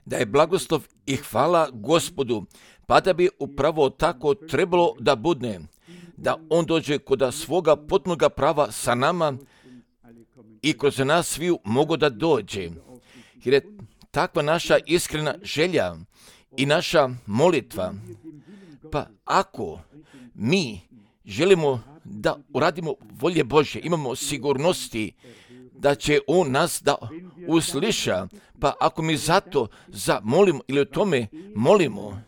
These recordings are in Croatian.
Da je blagoslov i hvala Gospodu, pa da bi upravo tako trebalo da bude, da on dođe kod svoga potpunoga prava sa nama i kroz nas sviju mogu da dođe. Jer je takva naša iskrena želja i naša molitva. Pa ako mi želimo da uradimo volje Božje, imamo sigurnosti da će on nas da usliša, pa ako mi zato zamolimo ili o tome molimo,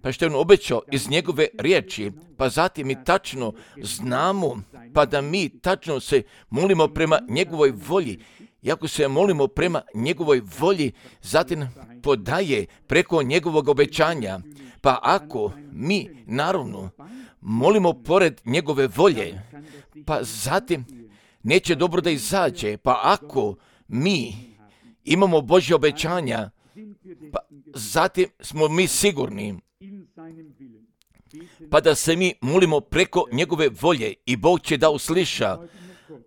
pa što je on obećao iz njegove riječi, pa zatim mi tačno znamo, pa da mi tačno se molimo prema njegovoj volji. I ako se molimo prema njegovoj volji, zatim podaje preko njegovog obećanja. Pa ako mi, naravno, molimo pored njegove volje, pa zatim neće dobro da izađe. Pa ako mi imamo Božje obećanja, pa zatim smo mi sigurni, pa da se mi molimo preko njegove volje i Bog će da usliša.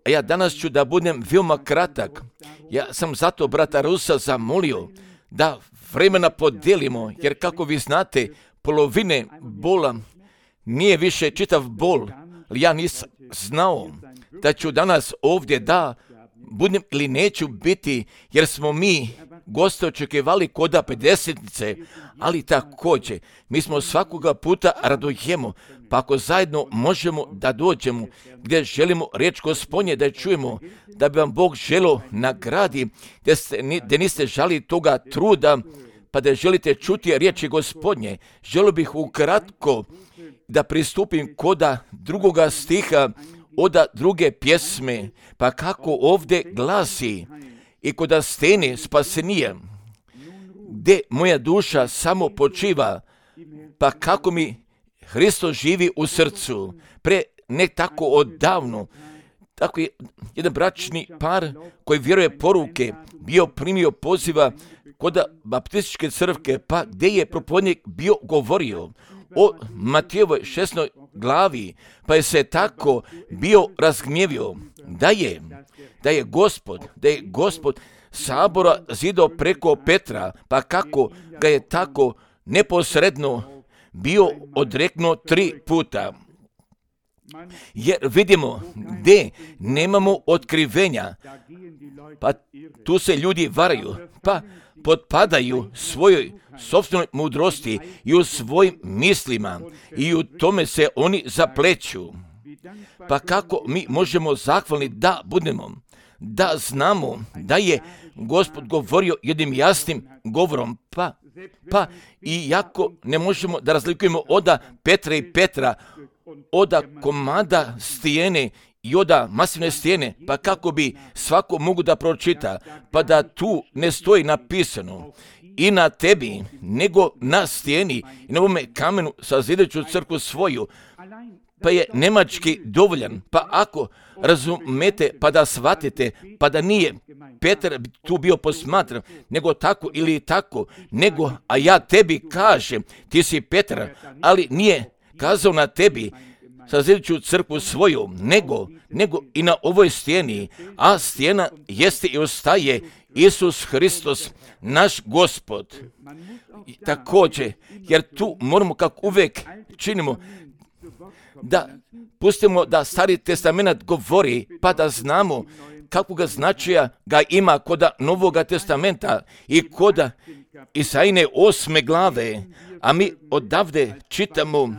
A ja danas ću da budem veoma kratak. Ja sam zato brata Rusa zamolio da vremena podelimo, jer kako vi znate, polovine bola nije više čitav bol. Ja nisam znao da ću danas ovdje da budem ili neću biti, jer smo mi goste očekivali koda 50-nice, ali također mi smo svakoga puta radujemo, pa ako zajedno možemo da dođemo gdje želimo riječ Gospodnje da je čujemo, da bi vam Bog želio nagradi, da niste žali toga truda, pa da želite čuti riječi Gospodnje. Želio bih ukratko da pristupim koda drugoga stiha od druge pjesme, pa kako ovdje glasi: i koda stene spasenije, gdje moja duša samo počiva, pa kako mi Hristos živi u srcu. Pre ne tako odavno, tako je jedan bračni par koji vjeruje poruke, bio primio poziva kod baptističke crkve, pa gdje je propovjednik bio govorio o Matejevoj 16. glavi, pa je se tako bio razgnjevio da je Gospod sabora zidao preko Petra, pa kako ga je tako neposredno bio odreknuo 3 puta. Jer vidimo gdje nemamo otkrivenja, pa tu se ljudi varaju, pa potpadaju svojoj sopstvenoj mudrosti i u svojim mislima i u tome se oni zapleću. Pa kako mi možemo zahvalni da budemo, da znamo da je Gospod govorio jednim jasnim govorom, pa iako ne možemo da razlikujemo od Petra i Petra, od komada stijene i od masivne stijene, pa kako bi svako mogu da pročita, pa da tu ne stoji napisano i na tebi, nego na stijeni i na ovome kamenu sazidajuću crkvu svoju, pa je nemački dovoljan. Pa ako razumete, pa da shvatite, pa da nije Petar tu bio posmatran, nego tako ili tako, nego, a ja tebi kažem, ti si Petar, ali nije kazao na tebi, sazidajuću crkvu svoju, nego i na ovoj stijeni, a stijena jeste i ostaje Isus Hristos, naš Gospod. Također, jer tu moramo, kako uvijek činimo, da pustimo da Stari testament govori, pa da znamo kakvoga značaja ga ima kod Novoga testamenta i kod Isajine 8. glave, a mi odavde čitamo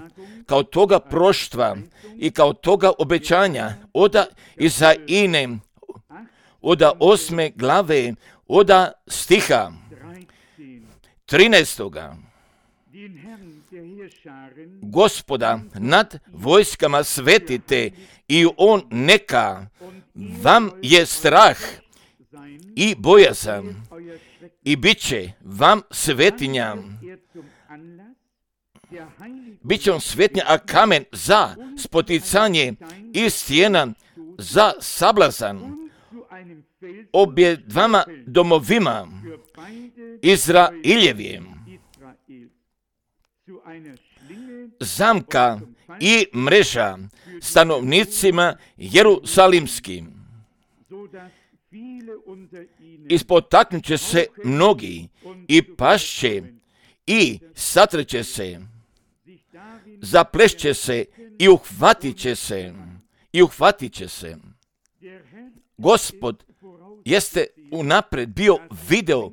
kao toga proštva i kao toga obećanja od Isajine, od 8. glave, od stiha 13. Gospoda nad vojskama svetite i on neka vam je strah i bojazan i bit će vam svetinja. Biće vam svetinja, a kamen za spoticanje i stijena za sablazan obje dvama domovima Izraeljevim. Zamka i mreža stanovnicima Jerusalimskim. ispotaknut će se mnogi i pašće i satreće se, zaplešće se i uhvatit će se. Gospod jeste unapred bio video,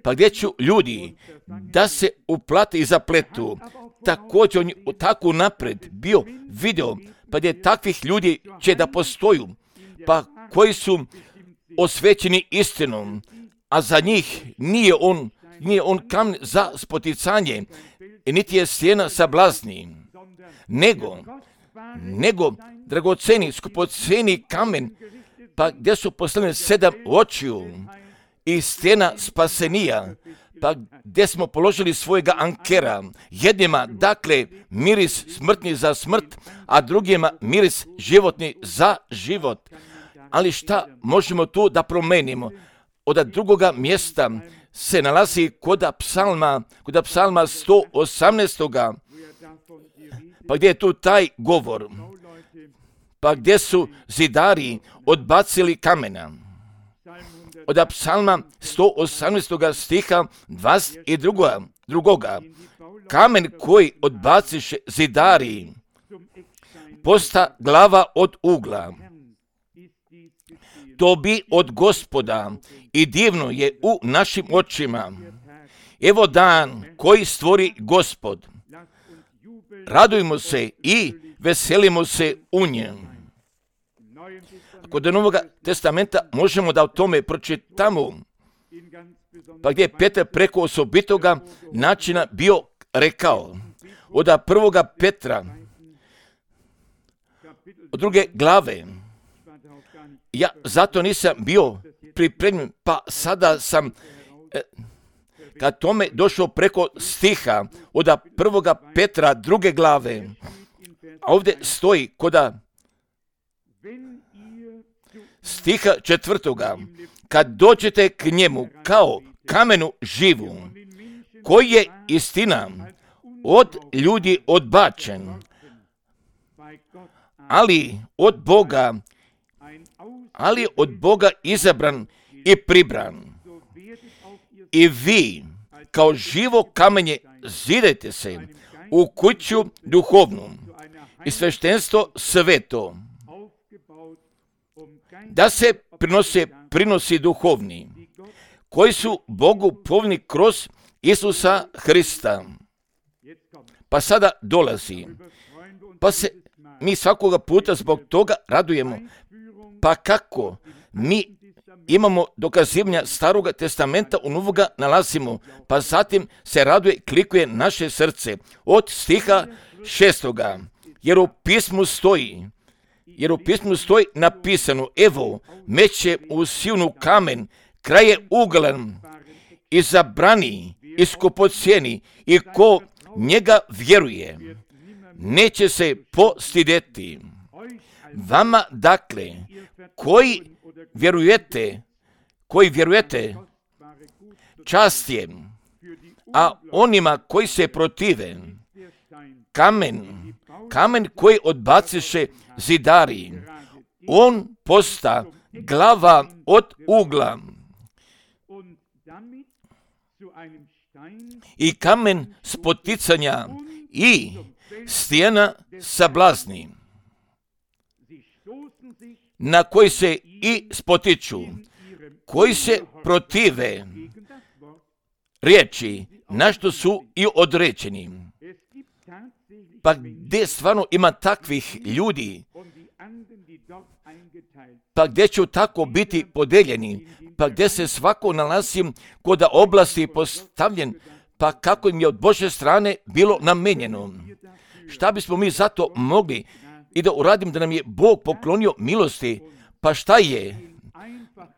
pa gdje ću ljudi da se uplate i zapletu, također on je tako unapred bio video, pa gdje takvih ljudi će da postoju, pa koji su osvećeni istinom, a za njih nije on kamen za spoticanje, niti je stijena sablazni, nego dragoceni, skupoceni kamen, pa gdje su postavljene 7 očiju i stijena spasenija, pa gdje smo položili svojega ankera. Jednima, dakle, miris smrtni za smrt, a drugima miris životni za život. Ali šta možemo tu da promenimo? Od drugoga mjesta se nalazi kod psalma 118. Pa gdje je tu taj govor? Pa gdje su zidari odbacili kamena? Od psalma 118. stiha 22. Kamen koji odbaciše zidari posta glava od ugla. To bi od Gospoda i divno je u našim očima. Evo dan koji stvori Gospod. Radujmo se i veselimo se u njem. Kod Novoga testamenta možemo da o tome pročitamo, pa gdje je Petar preko osobitoga načina bio rekao, od 1. Petra, od 2. glave, ja zato nisam bio pripremljen, pa sada sam kad tome došao preko stiha od 1. Petra 2. glave, a ovdje stoji koda stiha 4. Kad dođete k njemu kao kamenu živu, koji je istina od ljudi odbačen, ali od Boga izabran i pribran. I vi, kao živo kamenje, zidajte se u kuću duhovnu i sveštenstvo sveto, da se prinosi duhovni, koji su Bogu povni kroz Isusa Hrista. Pa sada dolazi, pa se mi svakoga puta zbog toga radujemo. Pa kako mi imamo dokazivanja Staroga testamenta u Novoga nalazimo, pa zatim se raduje, klikuje naše srce. Od stiha 6. Jer u pismu stoji napisano, evo, meće u silnu kamen, kraj je uglan, izabrani, iskupocjeni, i ko njega vjeruje, neće se postideti. Vama, dakle, koji vjerujete, čast je, a onima koji se protive, kamen koji odbaciše zidari, on posta glava od ugla i kamen spoticanja i stijena sablazni, na koji se i spotiču, koji se protive riječi, na što su i određeni. Pa gdje stvarno ima takvih ljudi, pa gdje će tako biti podeljeni, pa gdje se svako nalazi kod oblasti postavljen, pa kako im je od Božje strane bilo namenjeno. Šta bismo mi zato mogli i da uradim da nam je Bog poklonio milosti, pa šta je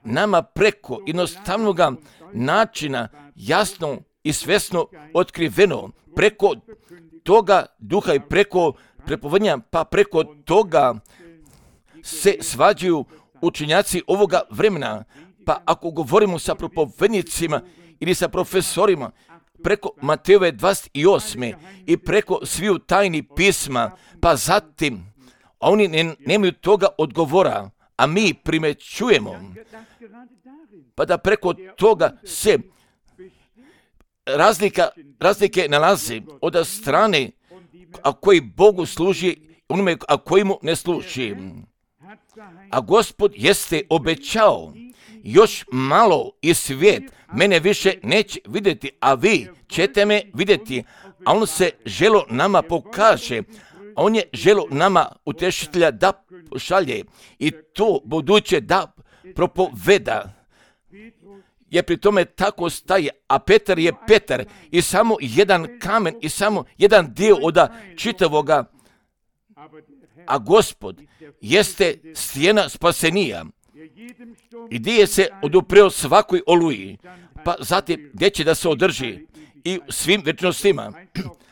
nama preko jednostavnoga načina jasno i svesno otkriveno, preko toga duha i preko prepovedanja, pa preko toga se svađaju učenjaci ovoga vremena. Pa ako govorimo sa propovednicima ili sa profesorima, preko Matejove 28. i preko sviju tajni pisma, pa zatim, a oni nemaju toga odgovora, a mi primećujemo, pa da preko toga se razlike nalazi od strane a koji Bogu služi, onome a koji mu ne služi. A Gospod jeste obećao, još malo i svijet mene više neće vidjeti, a vi ćete me vidjeti. A on se želo nama pokaže, on je želo nama utešitelja da pošalje i to buduće da propoveda. Je pri tome tako staje, a Petar je Petar i samo jedan kamen i samo jedan dio od čitavoga, a Gospod jeste stijena spasenija i gdje je se odupreo svakoj oluji, pa zatim gdje će da se održi i svim večnostima.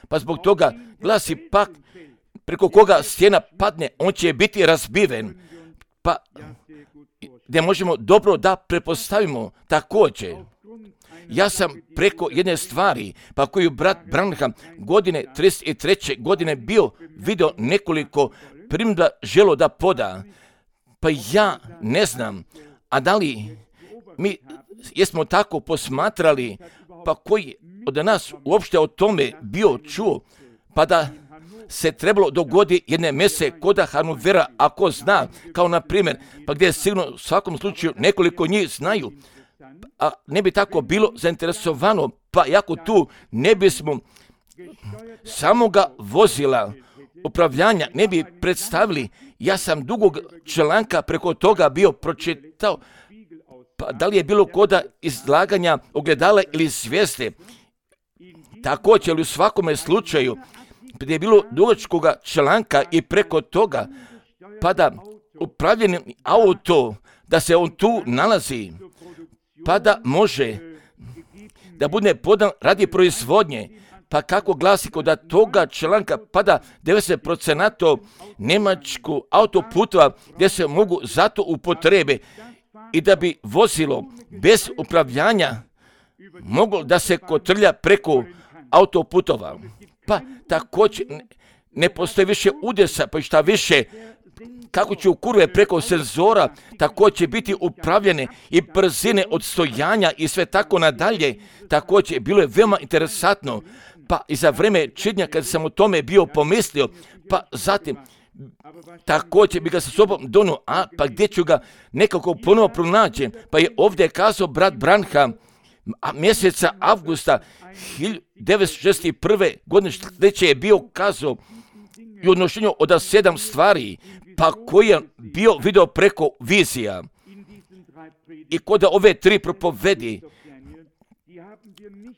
Pa zbog toga glasi pak preko koga stijena padne, on će biti razbiven, pa gdje možemo dobro da prepostavimo također. Ja sam preko jedne stvari, pa koju brat Branham godine 33. godine bio video nekoliko primjedba želo da poda, pa ja ne znam, a da li mi jesmo tako posmatrali, pa koji od nas uopšte o tome bio čuo, pa da se trebalo dogodi jedne mese koda Hannovera, ako zna, kao na primjer, pa gdje sigurno u svakom slučaju nekoliko njih znaju, a ne bi tako bilo zainteresovano, pa jako tu ne bismo samoga vozila upravljanja ne bi predstavili. Ja sam dugog članka preko toga bio pročitao, pa da li je bilo koda izlaganja ogledala ili zvijezde, također ali u svakome slučaju gdje je bilo dugačkoga članka i preko toga, pa da upravljeni auto, da se on tu nalazi, pa da može da bude podan radi proizvodnje, pa kako glasi kod toga članka, pa da 90% Njemačku autoputova gdje se mogu zato upotrebe i da bi vozilo bez upravljanja moglo da se kotrlja preko autoputova. Pa također ne postoji više udesa, pa šta više, kako će u kurve preko senzora također će biti upravljene i brzine odstojanja i sve tako nadalje. Također bilo je veoma interesantno, pa i za vreme čitanja kad sam o tome bio pomislio, pa zatim također bi ga sa sobom donio, pa gdje ću ga nekako ponovo pronaći, pa je ovdje kazao brat Branham, mjeseca avgusta 1961. godine sljedeće je bio kazao i odnošenju od 7 stvari, pa koji je bio video preko vizija. I kod ove 3 propovedi,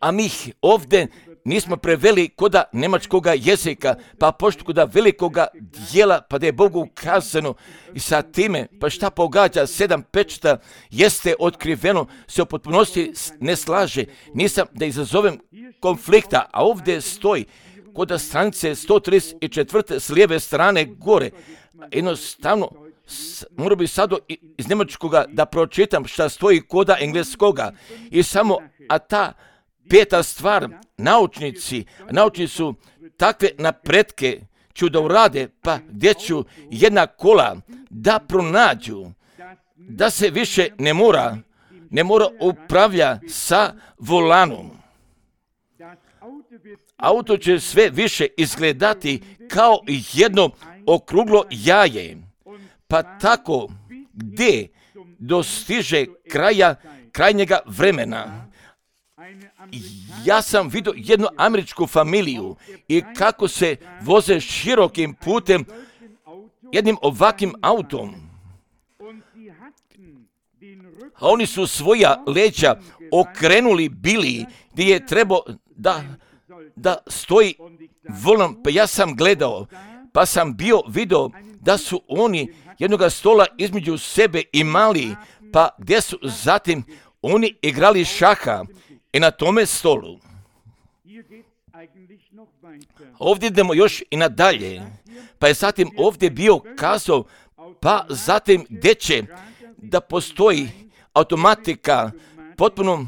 a mi ih ovdje nismo preveli koda njemačkoga jezika, pa pošto koda velikoga dijela, pa da je Bogu ukazano i sa time, pa šta pogađa 7 pečata jeste otkriveno, se u potpunosti ne slaže. Nisam da izazovem konflikta, a ovdje stoji koda stranice 134. s lijeve strane gore. Jednostavno, moram bi sad iz njemačkoga da pročitam šta stoji koda engleskoga. I samo, a ta 5. stvar, naučnici su takve napretke ću da urade, pa gdje ću jedna kola da pronađu, da se više ne mora upravlja sa volanom. Auto će sve više izgledati kao jedno okruglo jaje, pa tako gdje dostiže krajnjega vremena. Ja sam vidio jednu američku familiju i kako se voze širokim putem jednim ovakvim autom. A oni su svoja leđa okrenuli bili gdje je trebao da stoji volan, pa ja sam gledao, pa sam bio video da su oni jednoga stola između sebe imali, pa gdje su zatim oni igrali šaha i na tome stolu. Ovdje idemo još i nadalje, pa je zatim ovdje bio kazao, pa zatim gdje će da postoji automatika potpuno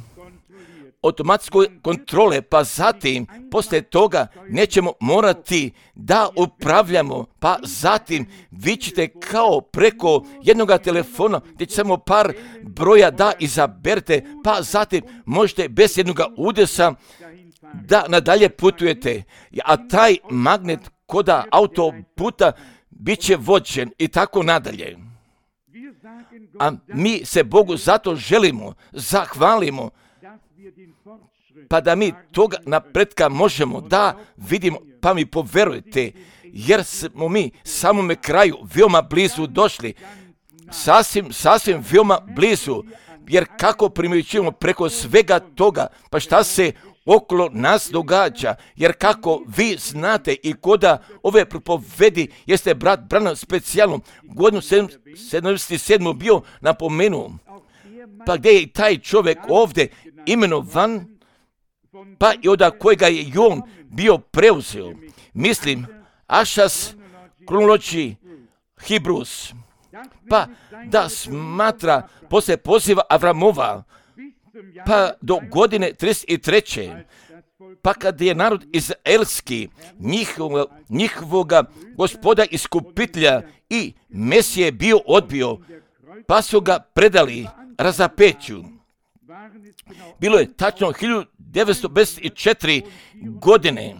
automatskoj kontrole, pa zatim, poslije toga, nećemo morati da upravljamo, pa zatim vi ćete kao preko jednoga telefona, gdje će samo par broja da izaberete, pa zatim možete bez jednoga udesa da nadalje putujete, a taj magnet koda autoputa bit će vođen i tako nadalje. A mi se Bogu zato želimo, zahvalimo, pa da mi toga napretka možemo da vidimo, pa mi poverujte, jer smo mi samome kraju veoma blizu došli, sasvim veoma blizu, jer kako primjećujemo preko svega toga, pa šta se okolo nas događa, jer kako vi znate i koda ove propovedi jeste brat Branham specijalno godinu 77. bio napomenuo, pa gdje je taj čovjek ovdje imenovan, pa i od kojega je i on bio preuzeo. Mislim, Ašas kronologiji Hibrus, pa da smatra poslije poziva Avramova, pa do godine 33. Pa kad je narod izraelski njihovoga gospoda iskupitelja i Mesije bio odbio, pa su ga predali razapeću. Bilo je tačno 1954 godine.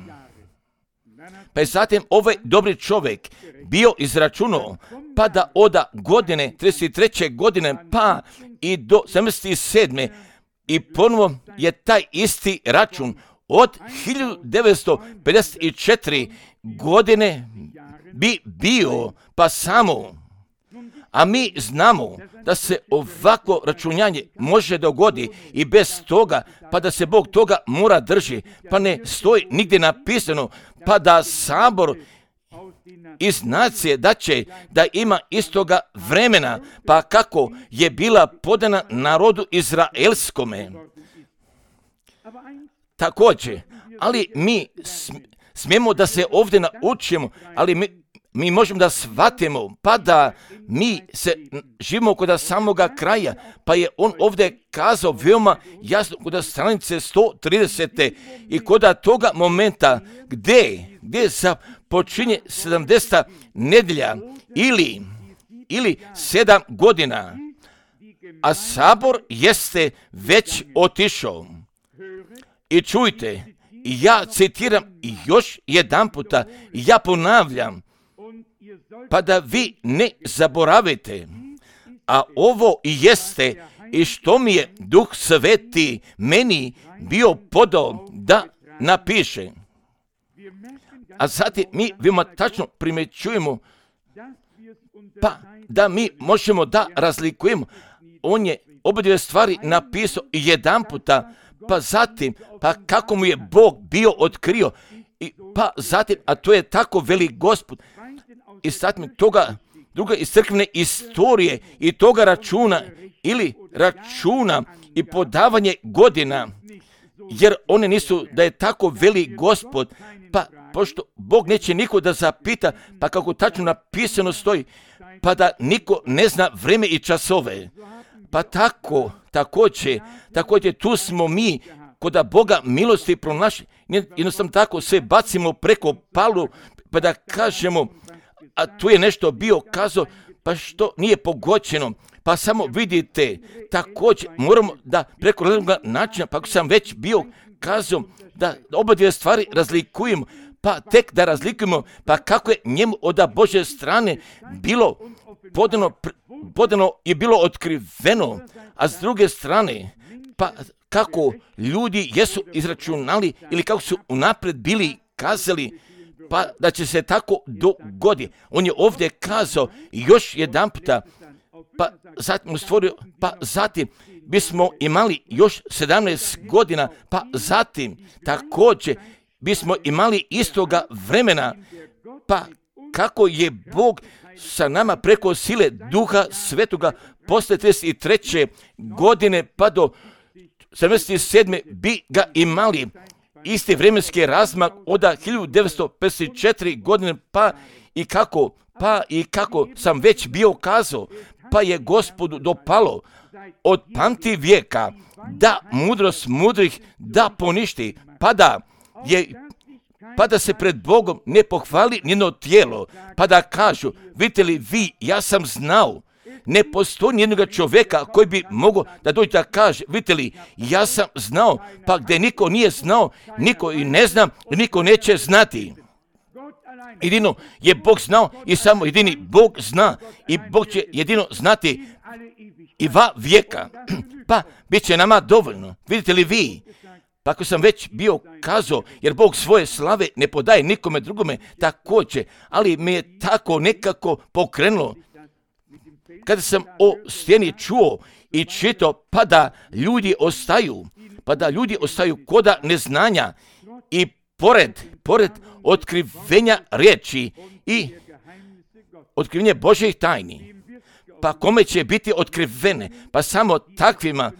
Pa je zatim ovaj dobri čovjek bio izračunao, pa da od godine 33. godine pa i do 77. i ponovo je taj isti račun od 1954 godine bi bio pa samo. A mi znamo da se ovako računjanje može dogoditi i bez toga, pa da se Bog toga mora drži, pa ne stoji nigdje napisano, pa da sabor iz nacije da će da ima istoga vremena, pa kako je bila podana narodu izraelskome. Također, ali mi smijemo da se ovdje naučimo, ali mi možemo da shvatimo, pa da mi se živimo kod samoga kraja, pa je on ovdje kazao veoma jasno kod stranice 130. i kod toga momenta gdje počinje 70. nedjelja ili 7 godina, a sabor jeste već otišao. I čujte, ja citiram još jedan puta, ja ponavljam, pa da vi ne zaboravite, a ovo i jeste i što mi je Duh Sveti meni bio podao da napiše. A zatim mi veoma tačno primjećujemo, pa da mi možemo da razlikujemo. On je obadve stvari napisao jedan puta, pa zatim, pa kako mu je Bog bio otkrio, pa zatim, a to je tako velik Gospod, i zatim toga druga iz crkvene istorije i toga računa ili računa i podavanje godina, jer one nisu da je tako velik Gospod, pa pošto Bog neće niko da zapita, pa kako tačno napisano stoji, pa da niko ne zna vreme i časove. Pa također tu smo mi kod Boga milosti pronašli, jednostavno tako sve bacimo preko palu, pa da kažemo, a tu je nešto bio kazao, pa što nije pogođeno, pa samo vidite, također moramo da preko različnog načina, pa ako sam već bio kazao, da oba dvije stvari razlikujemo, pa tek da razlikujemo, pa kako je njemu od Božje strane bilo podano i bilo otkriveno, a s druge strane, pa kako ljudi jesu izračunali ili kako su unaprijed bili kazali, pa da će se tako dogoditi. On je ovdje kazao još jedan puta, pa zatim stvorio, pa zatim bismo imali još 17 godina, pa zatim također bismo imali istoga vremena, pa kako je Bog sa nama preko sile Duha Svetoga posle 33. godine pa do 77. bi ga imali isti vremenski razmak od 1954 godine, pa i kako sam već bio kazao, pa je Gospodu dopalo od pamti vijeka da mudrost mudrih da poništi, pa da se pred Bogom ne pohvali njeno tijelo, pa da kažu, vidite li vi, ja sam znao. Ne postoji nijednog čovjeka koji bi mogao da dođe da kaže, vidite li, ja sam znao, pa gdje niko nije znao, niko i ne zna, niko neće znati. Jedino je Bog znao i samo jedini Bog zna i Bog će jedino znati i vijeka. Pa bit će nama dovoljno. Vidite li vi? Pa ako sam već bio kazao, jer Bog svoje slave ne podaje nikome drugome također, ali me je tako nekako pokrenulo. Kada sam o stijeni čuo i čitao, pa da ljudi ostaju koda neznanja i pored otkrivenja riječi i otkrivenja Božjih tajni. Pa kome će biti otkrivene? Pa samo takvima,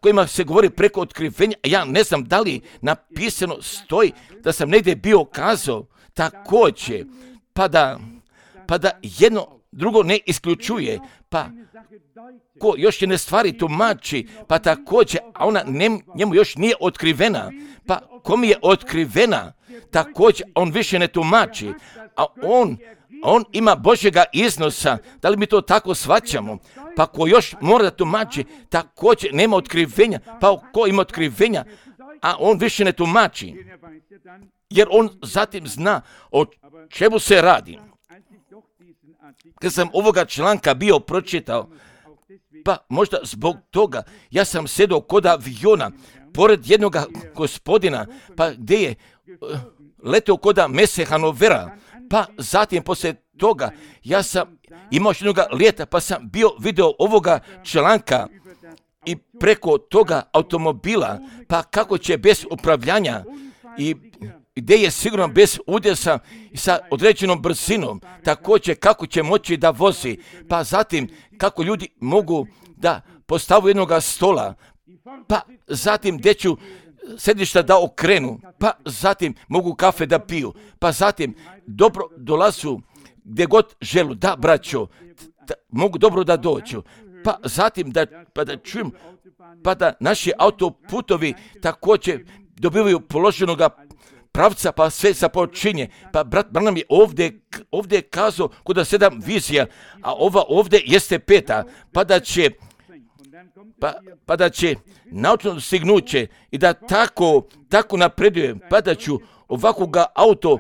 kojima se govori preko otkrivenja. Ja ne znam da li napisano stoji da sam negdje bio kazao također, pa da jedno drugo ne isključuje, pa ko još jedne stvari tumači, pa također, a ona njemu još nije otkrivena, pa kom je otkrivena, također on više ne tumači, a on ima Božjega iznosa. Da li mi to tako shvaćamo? Pa ko još mora da tumači, također nema otkrivenja, pa ko ima otkrivenja, a on više ne tumači, jer on zatim zna o čemu se radi. Kad sam ovoga članka bio pročitao, pa možda zbog toga, ja sam sedao kod aviona, pored jednog gospodina, pa gdje je letao kod mese Hanovera, pa zatim poslije toga, ja sam imao jednog lijeta, pa sam vidio ovoga članka i preko toga automobila, pa kako će bez upravljanja i gdje je sigurno bez udesa i sa određenom brzinom, također kako će moći da vozi, pa zatim kako ljudi mogu da postavu jednog stola, pa zatim gdje ću sedišta da okrenu, pa zatim mogu kafe da piju, pa zatim dobro dolazu gdje god želu, da braćo, mogu dobro da dođu, pa zatim da čujem, pa da naši autoputovi također dobivaju položenoga pravca, pa sve započinje. Pa brat Branham je ovdje kazao kod 7 vizija, a ova ovdje jeste 5, pa da će naučno stignuće i da tako napreduje, pa da ću ovakvoga auto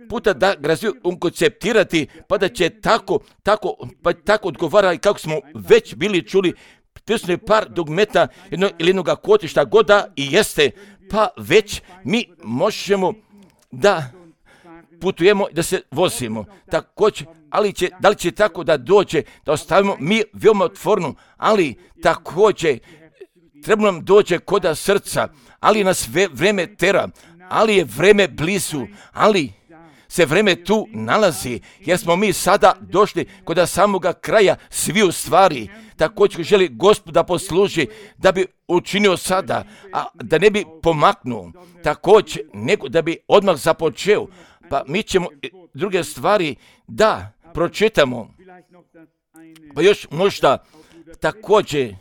puta da ga konceptirati, pa da će tako odgovara i kako smo već bili čuli, prisutno je par dugmeta ili jednog kotišta god da i jeste, pa već mi možemo da putujemo, da se vozimo. Također, da li će tako da dođe, da ostavimo mi veoma otvorno, ali također treba nam dođe koda srca, ali nas vreme tera, ali je vreme blizu, ali se vreme tu nalazi, jer smo mi sada došli kod samoga kraja sviju stvari. Također želi Gospod da posluži, da bi učinio sada, a da ne bi pomaknuo, također nego da bi odmah započeo. Pa mi ćemo druge stvari da pročitamo, pa još možda također,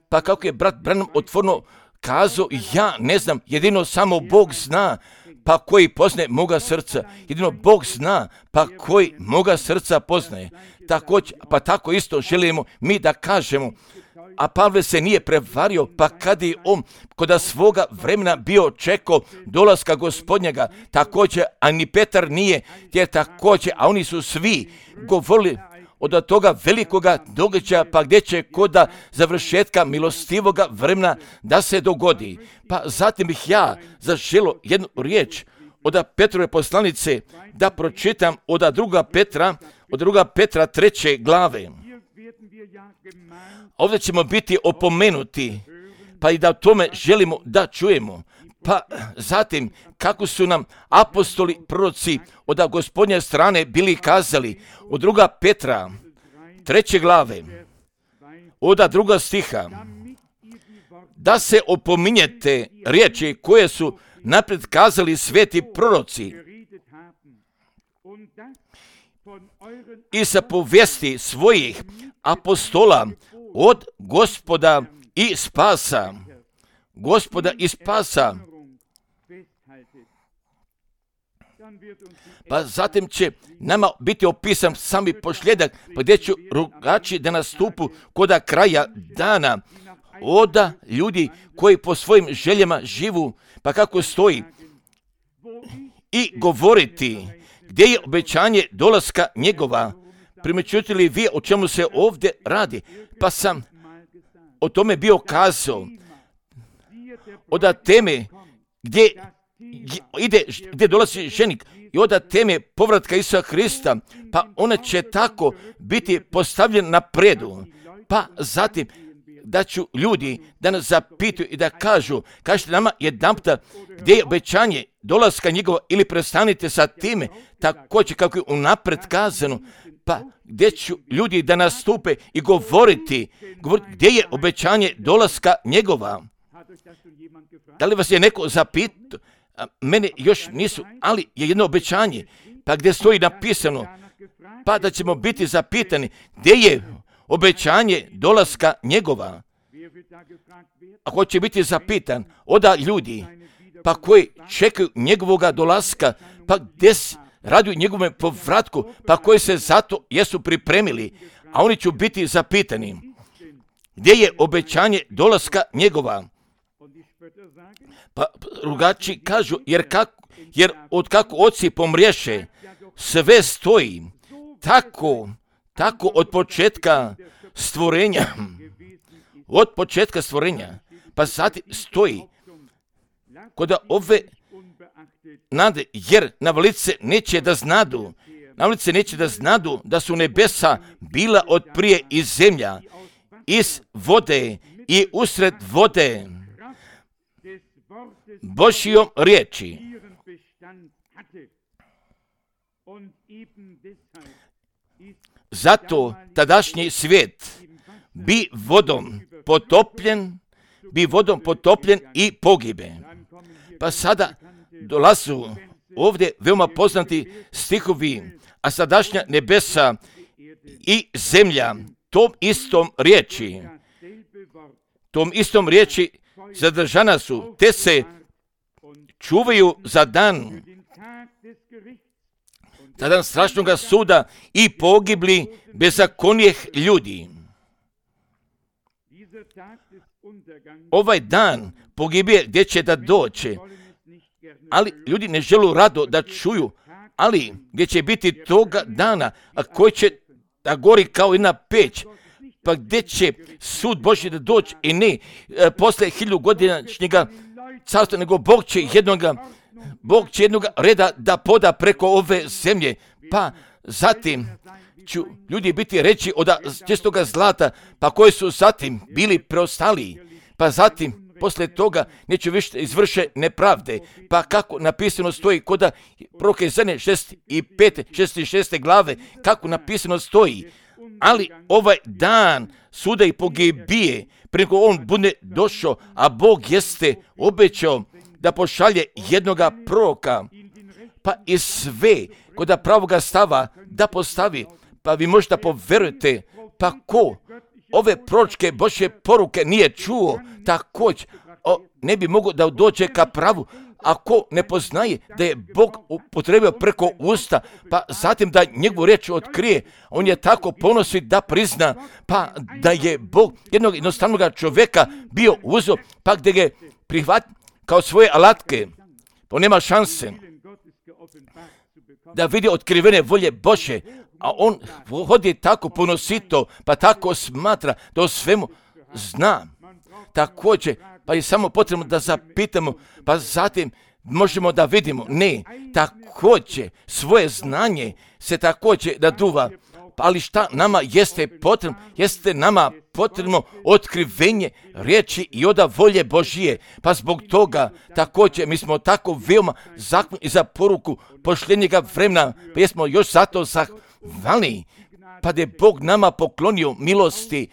pa kako je brat Branham otvorno kazao, ja ne znam, jedino samo Bog zna, pa koji poznaje moga srca. Jedino Bog zna, pa koji moga srca poznaje. Također, pa tako isto želimo mi da kažemo. A Pavle se nije prevario, pa kad je on kod svoga vremena bio čekao dolaska Gospodnjega, također, a ni Petar nije, jer također, a oni su svi govorili od toga velikoga događaja, pa gdje će koda završetka milostivoga vremena da se dogodi. Pa zatim bih ja zaželio jednu riječ od Petrove poslanice da pročitam od 2. Petra 3. glave. Ovdje ćemo biti opomenuti, pa i da o tome želimo da čujemo. Pa zatim, kako su nam apostoli, proroci od Gospodnje strane bili kazali od 2. Petra 3. glave, od 2. stiha, da se opominjete riječi koje su napred kazali sveti proroci i sa povijesti svojih apostola od Gospoda i spasa. Gospoda i spasa. Pa zatim će nama biti opisan sami posljedak, pa gdje će rugači da nastupu koda kraja dana. Oda ljudi koji po svojim željama živu, pa kako stoji, i govoriti gdje je obećanje dolaska njegova. Primjećujete li vi o čemu se ovdje radi? Pa sam o tome bio kazao. Od teme gdje dolazi ženik i od teme povratka Isusa Krista, pa ona će tako biti postavljen na predu. Pa zatim da ću ljudi da nas zapituju i da kažete nama jedanputa gdje je obećanje dolaska njegova ili prestanite sa time, također kako je unapred kazano, pa gdje ću ljudi da nastupe i govoriti gdje je obećanje dolaska njegova. Da li vas je neko zapitao? Mene još nisu, ali je jedno obećanje, pa gdje stoji napisano, pa da ćemo biti zapitani gdje je obećanje dolaska njegova. Ako će biti zapitan oda ljudi, pa koji čekaju njegovoga dolaska, pa gdje raduju njegovom povratku, pa koji se zato jesu pripremili, a oni će biti zapitani gdje je obećanje dolaska njegova. Pa rugači kažu, jer od kako oci pomriješe, sve stoji tako od početka stvorenja. Od početka stvorenja. Pa sad stoji kod ove nade, jer navalice neće da znadu da su nebesa bila od prije i zemlja, iz vode i usred vode, Božjom riječi. Zato tadašnji svijet bi vodom potopljen i pogibe. Pa sada dolazu ovdje veoma poznati stihovi, a sadašnja nebesa i zemlja tom istom riječi zadržana su, te se čuvaju za dan strašnoga suda i pogibli bezakonijeh ljudi. Ovaj dan pogibije gdje će da doće, ali ljudi ne žele rado da čuju, ali gdje će biti toga dana, a koji će da gori kao jedna peć, pa gdje će sud Božji da doći i ne posle 1000 godinašnjega carstva, nego Bog će jednoga reda da poda preko ove zemlje, pa zatim ću ljudi biti reći od čistoga zlata, pa koji su zatim bili preostali, pa zatim posle toga neće više izvrše nepravde, pa kako napisano stoji kod proroka Izaije 6. glave, kako napisano stoji, ali ovaj dan suda i pogibije, preko on bude došao, a Bog jeste obećao da pošalje jednoga proroka, pa i sve kod pravoga stava da postavi, pa vi možete poverujete, pa ko ove proročke Božje poruke nije čuo, također ne bi mogao da dođe ka pravu, ako ne poznaje da je Bog upotrebio preko usta, pa zatim da njegovu riječ otkrije, on je tako ponosi da prizna, pa da je Bog jednog jednostavnog čovjeka bio uzeo, pa gdje ga prihvati kao svoje alatke, pa nema šanse da vidi otkrivene volje Božje, a on hodi tako ponosito, pa tako smatra da o svemu zna. Također, pa je samo potrebno da zapitamo, pa zatim možemo da vidimo. Ne, također svoje znanje se također da duva. Ali šta nama jeste potrebno? Jeste nama potrebno otkrivenje riječi i oda volje Božije. Pa zbog toga također mi smo tako veoma zakon i za poruku pošljenjega vremena, pa jesmo još zato zahvalni, pa da je Bog nama poklonio milosti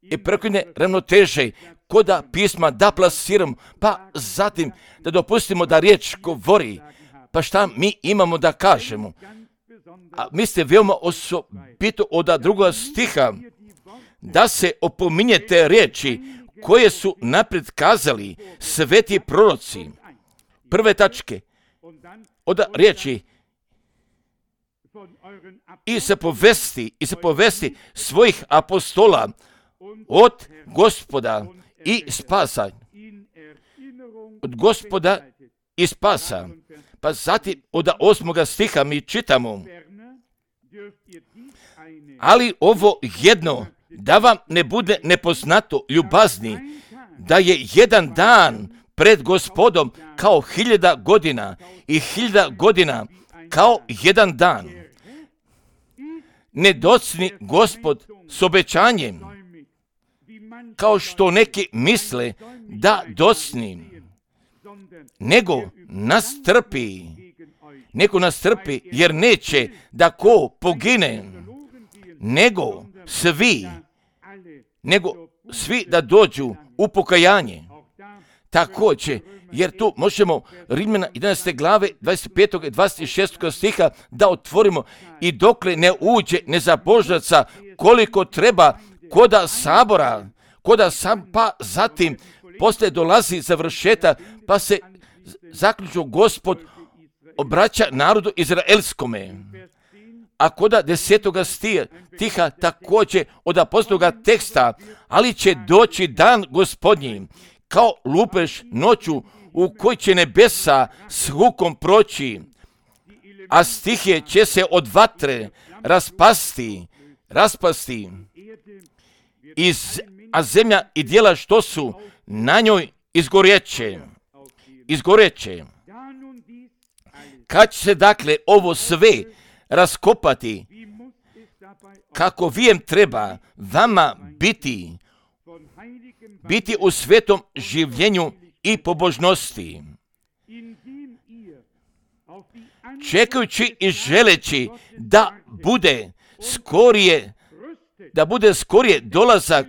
i prekojne ravnoteže koda pisma da plasiramo, pa zatim da dopustimo da riječ govori. Pa šta mi imamo da kažemo? a mislite veoma osobito od drugoga stiha, da se opominjete riječi koje su naprijed kazali sveti proroci. Prve tačke od riječi i se povesti svojih apostola od Gospoda i spasa. Od Gospoda i spasa. Pa zatim od 8. stiha mi čitamo: ali ovo jedno, da vam ne bude nepoznato, ljubazni, da je jedan dan pred Gospodom kao 1000 godina i 1000 godina kao jedan dan. Ne docni Gospod s obećanjem, kao što neki misle da docni, nego nas trpi, jer neće da ko pogine, nego svi da dođu u pokajanje. Također, jer tu možemo Rimljana 11. glave 25. i 26. stiha da otvorimo: i dokle ne uđe nezabožnaca koliko treba koda sabora, pa zatim poslije dolazi završetak, pa se zaključno Gospod obraća narodu izraelskome. A koda 10. stiha također od apostolskoga teksta: ali će doći dan Gospodnji kao lupež noću, u kojoj će nebesa s hukom proći, a stihije će se od vatre raspasti, a zemlja i djela što su na njoj izgoreće. Kad će se dakle ovo sve raskopati, kako vijem treba vama biti u svetom življenju i pobožnosti, čekajući i želeći da bude skorije dolazak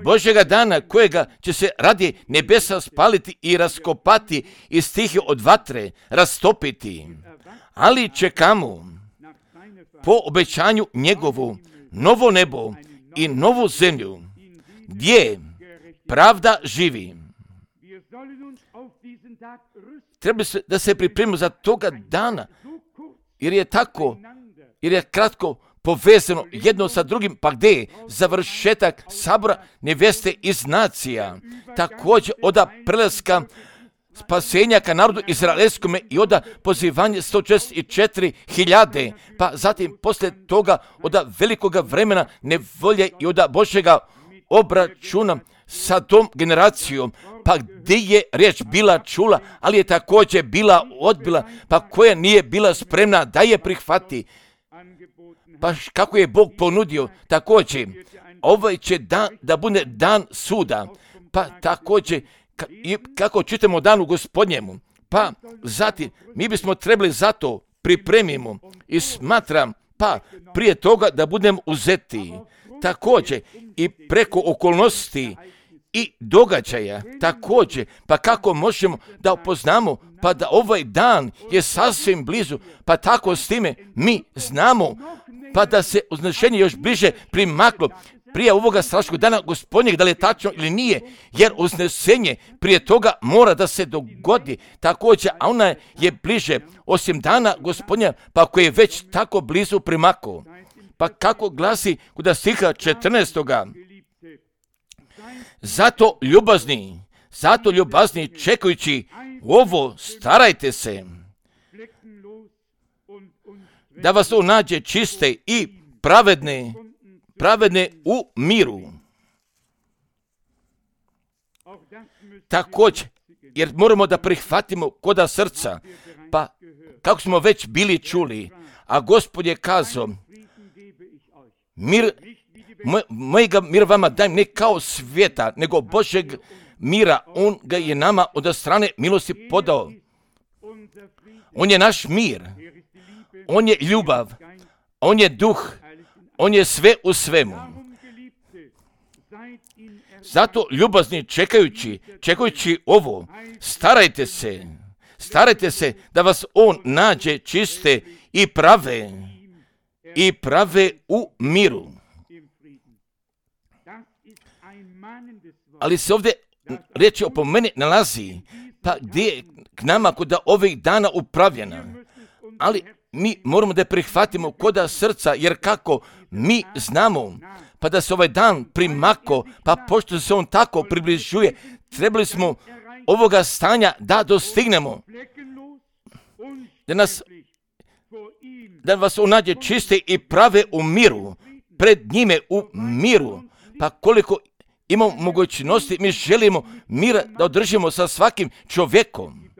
Božjega dana, kojega će se radi nebesa spaliti i raskopati i stihije od vatre rastopiti. Ali čekamo po obećanju njegovu novo nebo i novu zemlju, gdje pravda živi. Treba se da se pripremimo za toga dana, jer je kratko povezano jedno sa drugim, pa gdje je završetak sabora neveste iz nacija, također od prelaska spasenja ka narodu izraelskome i od pozivanja 144.000, pa zatim poslije toga od velikoga vremena nevolje i od Božjega obračuna sa tom generacijom, pa gdje je riječ bila čula, ali je također bila odbila, pa koja nije bila spremna da je prihvati. Pa kako je Bog ponudio, također ovaj će dan da bude dan suda, pa također kako čitamo danu Gospodnjemu, pa zatim mi bismo trebali za to pripremimo i smatram, pa prije toga da budemo uzeti, također i preko okolnosti i događaja, također, pa kako možemo da upoznamo, pa da ovaj dan je sasvim blizu, pa tako s time mi znamo, pa da se uznešenje još bliže primaklo prije ovoga strašnog dana Gospodnjeg, da li je tačno ili nije, jer uznesenje prije toga mora da se dogodi također, a ona je bliže osim dana Gospodnja, pa koji je već tako blizu primakao. Pa kako glasi kod stiha 14. Zato ljubazni čekajući ovo starajte se da vas to nađe čiste i pravedne u miru. Također, jer moramo da prihvatimo koda srca, pa kako smo već bili čuli, a Gospod je kazao, mojega mira vama dajem ne kao svijeta, nego Božeg mira, on ga je nama od strane milosti podao. On je naš mir, on je ljubav, on je duh, on je sve u svemu. Zato ljubazni čekajući ovo, starajte starajte se da vas on nađe čiste i prave u miru. Ali se ovdje riječ o meni nalazi, pa gdje je k nama koda ovih dana upravljena. Ali mi moramo da je prihvatimo koda srca, jer kako mi znamo, pa da se ovaj dan primako, pa pošto se on tako približuje, trebali smo ovoga stanja da dostignemo. Da vas on nađe čiste i prave u miru, pred njime u miru. Pa koliko imamo mogućnosti, mi želimo mira da održimo sa svakim čovjekom.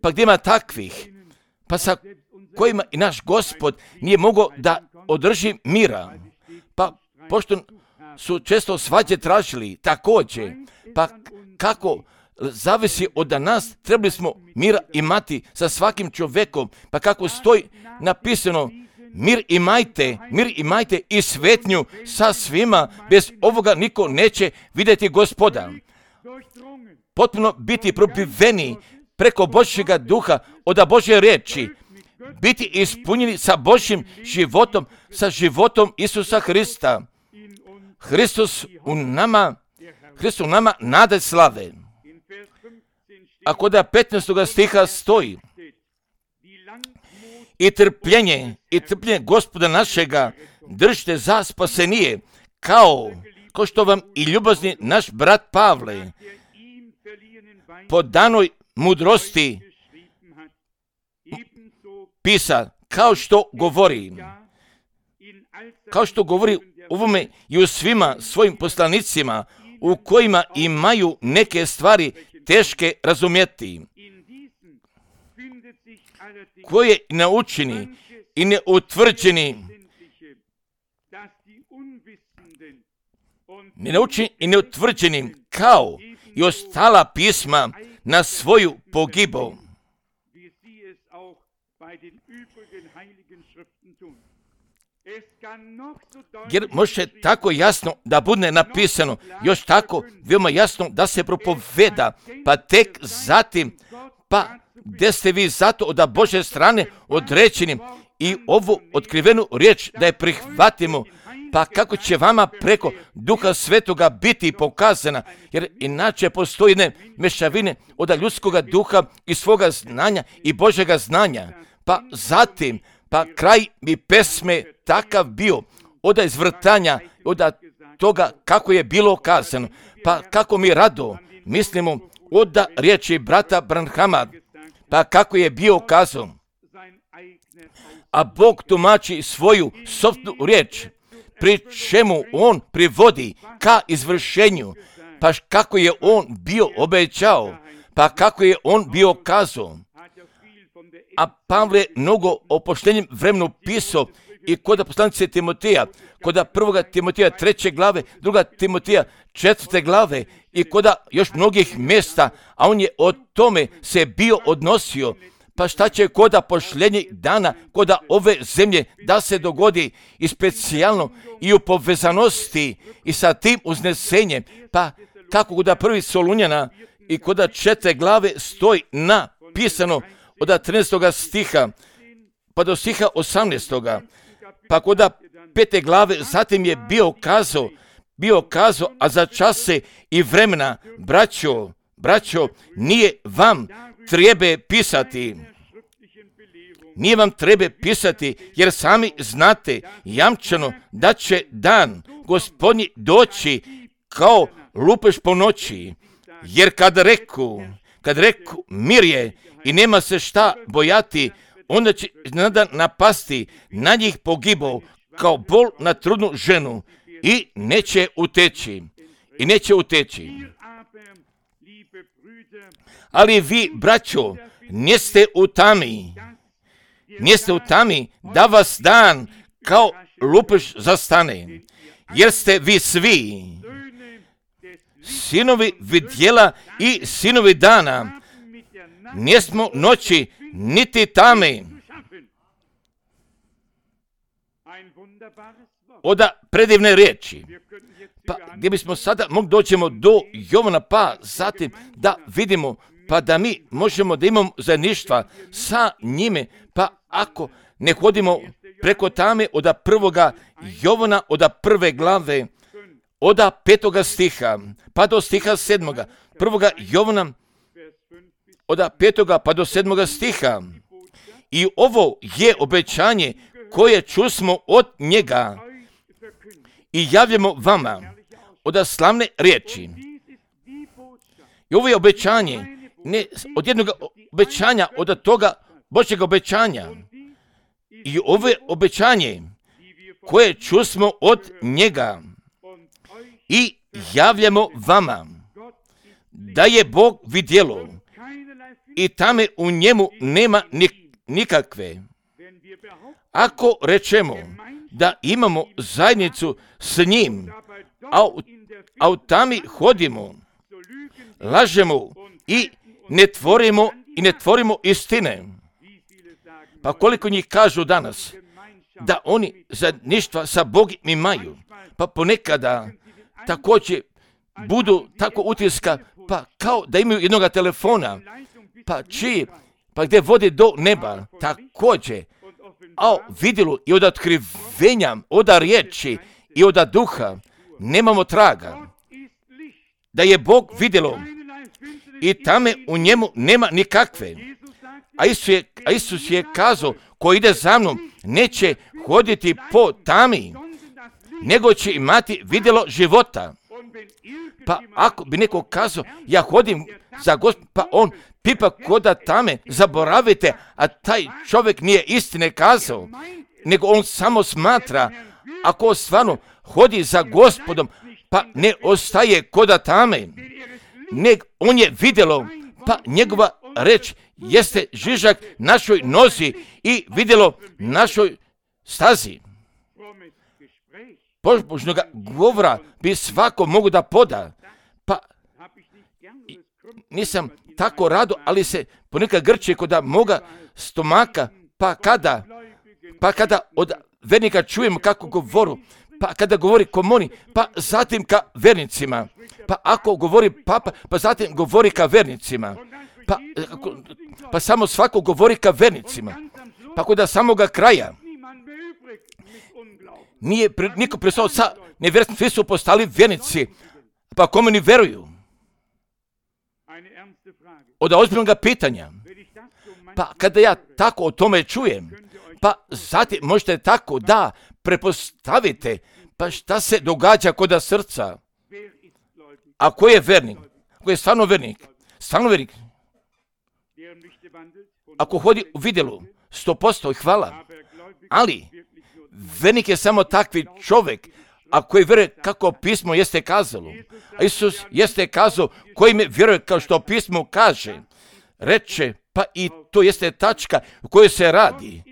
Pa gdje ima takvih, pa sa kojima i naš Gospod nije mogao da održi mira. Pa pošto su često svađe tražili također, pa kako zavisi od nas, trebali smo mira imati sa svakim čovjekom, pa kako stoji napisano, mir imajte i svetnju sa svima, bez ovoga niko neće vidjeti Gospoda. Potpuno biti probiveni preko Božjega duha od Božje riječi, biti ispunjeni sa Božjim životom, sa životom Isusa Hrista. Hristos u nama nada slave. A kod 15. stiha stoji, i trpljenje Gospoda našega držite za spasenije, kao što vam i ljubazni naš brat Pavle po danoj mudrosti pisa, kao što govori ovome i u svima svojim poslanicima, u kojima imaju neke stvari teške razumjeti, koje naučeni i neutvrđenim kao i ostala pisma na svoju pogibu. Jer može tako jasno da bude napisano, još tako veoma jasno da se propoveda, pa tek zatim, pa gdje ste vi zato od Božje strane određeni i ovu otkrivenu riječ da je prihvatimo, pa kako će vama preko Duha Svetoga biti pokazana, jer inače postoji mešavine od ljudskoga duha i svoga znanja i Božjega znanja. Pa zatim, pa kraj mi pesme takav bio od izvrtanja, od toga kako je bilo kazano, pa kako mi rado mislimo od riječi brata Branhama, pa kako je bio kazan. A Bog tumači svoju sopstvenu riječ, pri čemu on privodi ka izvršenju, pa kako je on bio obećao, pa kako je on bio kazao. A Pavle mnogo o poštenjem vremenu pisao i kod poslanice Timoteja, kod 1. Timoteja 3. glave, 2. Timoteja 4. glave i kod još mnogih mjesta, a on je o tome se bio odnosio. Pa šta će kod pošljenjeg dana, kod ove zemlje da se dogodi i specijalno i u povezanosti i sa tim uznesenjem, pa kako kod 1. Solunjana i kod 4. glave stoji napisano od 13. stiha pa do stiha 18. Pa kod 5. glave zatim je bio kazao, a za čase i vremena, braćo, nije vam treba pisati, jer sami znate jamčano da će dan Gospodnji doći kao lupež po noći, jer kad reku mir je i nema se šta bojati, onda će iznenada napasti na njih pogibao kao bol na trudnu ženu i neće uteći. Ali vi, braćo, niste u tami da vas dan kao lupež zastane, jer ste vi svi sinovi vidjela i sinovi dana, nismo noći niti tame. Oda predivne riječi. Pa gdje bismo sada mogli doćemo do Jovana, pa zatim da vidimo pa da mi možemo da imamo zajedništva sa njime, pa ako ne hodimo preko tame od 1. Jovana, od 1. glave, od 5. stiha, pa do stiha 7. 1. Jovana, od 5. pa do 7. stiha. I ovo je obećanje koje čusmo od njega i javljamo vama od slavne riječi. I ovo je obećanje, ne od jednog obećanja, od toga Božjeg obećanja. I ovo je obećanje koje čusmo od njega i javljamo vama, da je Bog vidjelo i tame u njemu nema nikakve. Ako rečemo da imamo zajednicu s njim, a u tami hodimo, lažemo i ne tvorimo istine. Pa koliko njih kažu danas da oni zajedništva sa Bogom imaju, pa ponekada također budu tako utiska, pa kao da imaju jednoga telefona, pa gdje vode do neba, također, a vidjelo i od otkrivenja, od riječi i od duha, nemamo traga. Da je Bog vidjelo i tame u njemu nema nikakve. A Isus je kazao, ko ide za mnom, neće hoditi po tami, nego će imati vidjelo života. Pa ako bi neko kazao, ja hodim za Gospod, pa on pipa koda tame, zaboravite, a taj čovjek nije istine kazao, nego on samo smatra, ako stvarno hodi za Gospodom, pa ne ostaje koda tame, nego on je vidjelo, pa njegova reč jeste žižak našoj nozi i vidjelo našoj stazi. Božnog govora bi svako mogu da poda. Pa nisam tako rado, ali se ponekad grče kod moga stomaka, pa kada od vernika čujemo kako govoru, pa kada govori komoni, pa zatim ka vernicima, pa ako govori papa, pa zatim govori ka vernicima, pa samo svako govori ka vernicima, pa kod samoga kraja nije niko prestao sa nevjernicima, svi su postali vjernici, pa kome ni veruju? Od ozbiljnog pitanja. Pa kada ja tako o tome čujem, pa zatim možete tako da prepostavite, pa šta se događa kod srca? A ko je vernik? Ko je stvarno vernik? Stvarno vernik. Ako hodi u vidjelu, 100% hvala, ali vernik je samo takvi čovjek, a koji vjeruje kako pismo jeste kazalo. A Isus jeste kazao koji me vjeruje kao što pismo kaže. Reče, pa i to jeste tačka u kojoj se radi.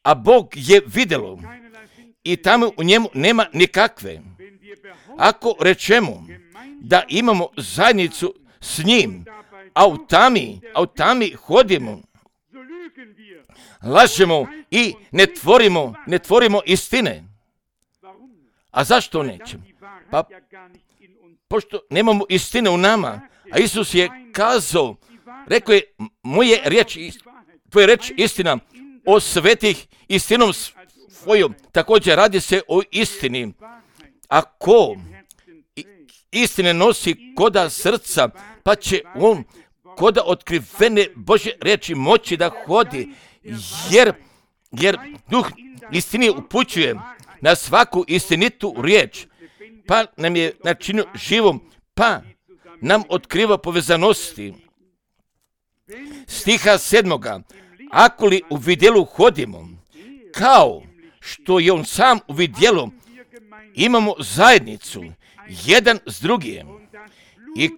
A Bog je vidjelo i tamo u njemu nema nikakve. Ako rečemo da imamo zajednicu s njim, a u tami hodimo, lažemo i ne tvorimo istine. A zašto nećemo? Pa pošto nemamo istine u nama, a Isus je kazao, rekao je, tvoja reč istina, o svetih istinom svojom, također radi se o istini. Ako istine nosi koda srca, pa će on koda otkrivene Božje riječi moći da hodi, jer duh istine upućuje na svaku istinitu riječ, pa nam je načinio živom, pa nam otkriva povezanosti. Stiha 7. Ako li u vidjelu hodimo, kao što je on sam u vidjelu, imamo zajednicu, jedan s drugim, i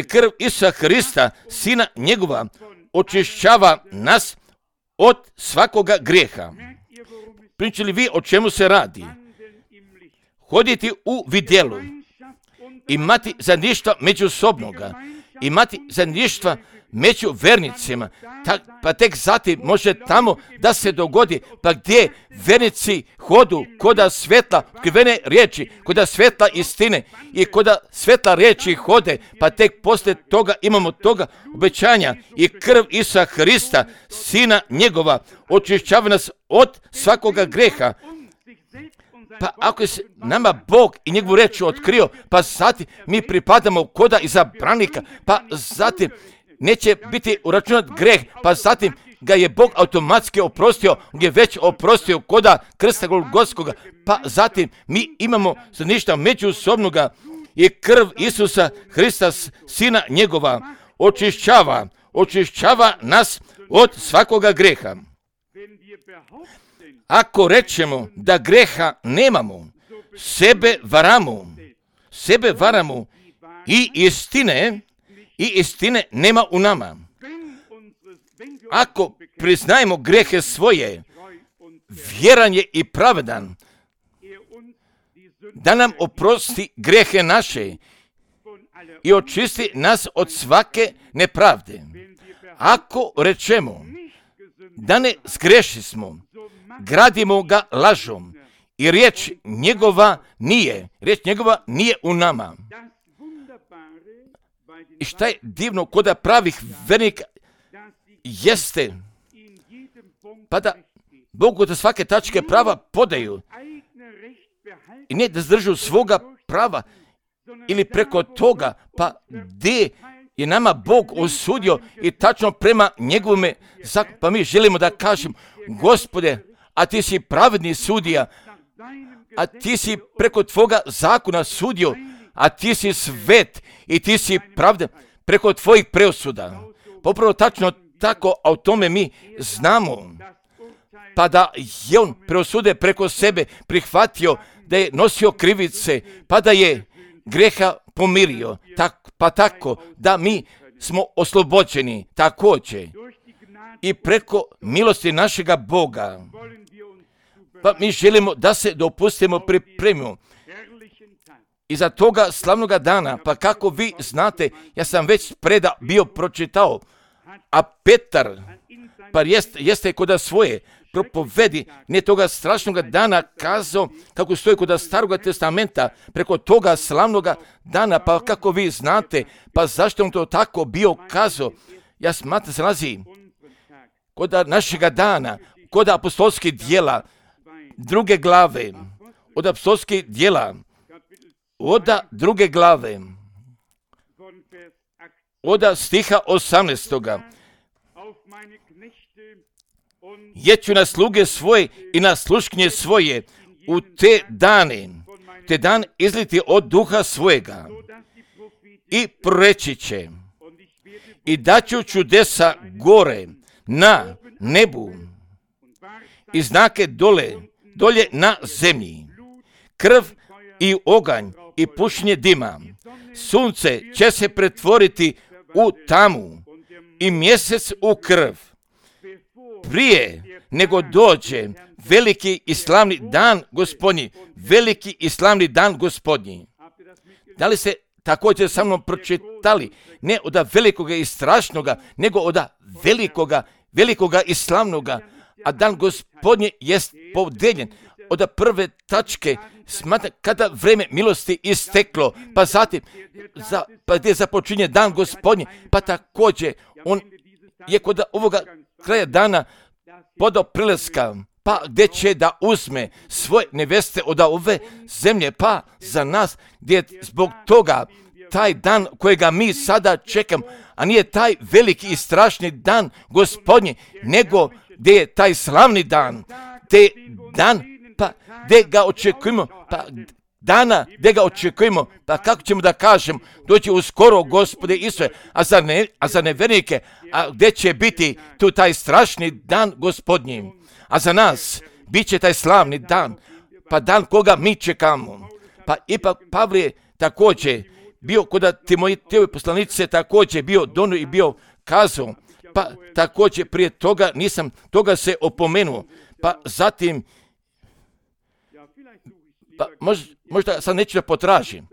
krv Isusa Hrista, Sina njegova, očišćava nas od svakoga grijeha. Pričali vi o čemu se radi? Hoditi u vidjelu, imati zajedništva međusobnoga, imati zajedništva među vernicima, pa tek zatim može tamo da se dogodi, pa gdje vernici hodu koda svetla, otkrivene riječi, koda svetla istine i koda svetla riječi hode, pa tek poslije toga imamo toga obećanja i krv Isusa Hrista, Sina njegova, očišćava nas od svakoga greha. Pa ako je nama Bog i njegovu riječ otkrio, pa zatim mi pripadamo koda izabranika, pa zatim neće biti uračunat greh, pa zatim ga je Bog automatski oprostio, gdje već oprostio koda krsta Golgotskoga, pa zatim mi imamo ništa međusobnoga i krv Isusa Hrista, Sina njegova, očišćava nas od svakoga greha. Ako rečemo da greha nemamo, sebe varamo i istine nema u nama. Ako priznajemo grehe svoje, vjeran je i pravedan da nam oprosti grehe naše i očisti nas od svake nepravde. Ako rečemo da ne zgrešismo, gradimo ga lažom i riječ njegova nije u nama. I šta je divno koda pravih vernika jeste, pa da Bogu da svake tačke prava podaju i ne da zdržu svoga prava ili preko toga, pa gdje je nama Bog osudio i tačno prema njegovome zakonu, pa mi želimo da kažem, Gospode, a ti si pravedni sudija, a ti si preko tvoga zakona sudio, a ti si svet i ti si pravda preko tvojih preosuda. Popravo tačno tako, a o tome mi znamo. Pa da je on preosude preko sebe prihvatio, da je nosio krivice, pa da je greha pomirio, pa tako da mi smo oslobođeni također i preko milosti našega Boga. Pa mi želimo da se dopustimo pripremimo iza toga slavnoga dana, pa kako vi znate, ja sam već bio pročitao, a Petar, pa jeste koda svoje propovedi, ne toga strašnoga dana kazao, kako stoji koda Staroga testamenta, preko toga slavnoga dana, pa kako vi znate, pa zašto on to tako bio kazao, ja smatram se nalazi koda našega dana, koda apostolskih djela, 2. glave, od apostolskih djela, od 2. glave, od stiha 18. Jeću na sluge svoje i na sluškinje svoje u te dan izliti od duha svojega i proreći će i daću čudesa gore na nebu i znake dolje na zemlji, krv i oganj i pušenje dima. Sunce će se pretvoriti u tamu i mjesec u krv. Prije nego dođe veliki i slavni dan Gospodnji, veliki i slavni dan Gospodnji. Da li ste također sa mnom pročitali, ne od velikoga i strašnoga, nego od velikoga i slavnoga, a dan Gospodnji jest podeljen od prve tačke, kada vreme milosti isteklo, pa zatim gdje započinje dan Gospodnji, pa također on je kod ovoga kraja dana podao prileska, pa gdje će da uzme svoje neveste od ove zemlje, pa za nas gdje je zbog toga taj dan kojega mi sada čekamo, a nije taj veliki i strašni dan Gospodnji, nego gdje je taj slavni dan, te dan, pa gdje ga očekujemo, pa dana gdje ga očekujemo, pa kako ćemo da kažem, doći uskoro Gospode Isuse, a za nevernike, a gdje će biti tu taj strašni dan Gospodnji, a za nas bit će taj slavni dan, pa dan koga mi čekamo. Pa ipak Pavle također bio kod Timotejove poslanice, također bio donio i bio kazao, pa također prije toga nisam toga se opomenuo, pa zatim pa možda sad neću da potražim.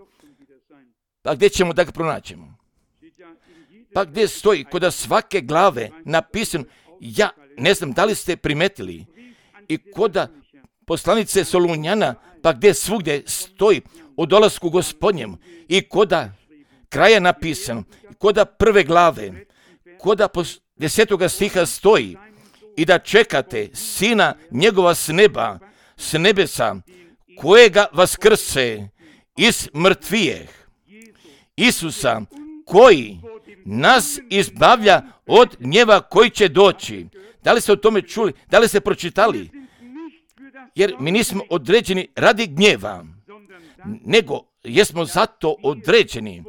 Pa gdje ćemo da ga pronaćemo? pa gdje stoji kod svake glave napisano, ja ne znam da li ste primetili, i kod poslanice Solunjana, pa gdje svugdje stoji o dolasku Gospodnjem, i kod kraja napisano, kod prve glave, kod 10. stiha stoji, i da čekate Sina njegova s nebesa, kojega vaskrse iz mrtvijeh, Isusa, koji nas izbavlja od gnjeva koji će doći. Da li ste o tome čuli? Da li ste pročitali? Jer mi nismo određeni radi gnjeva, nego jesmo zato određeni,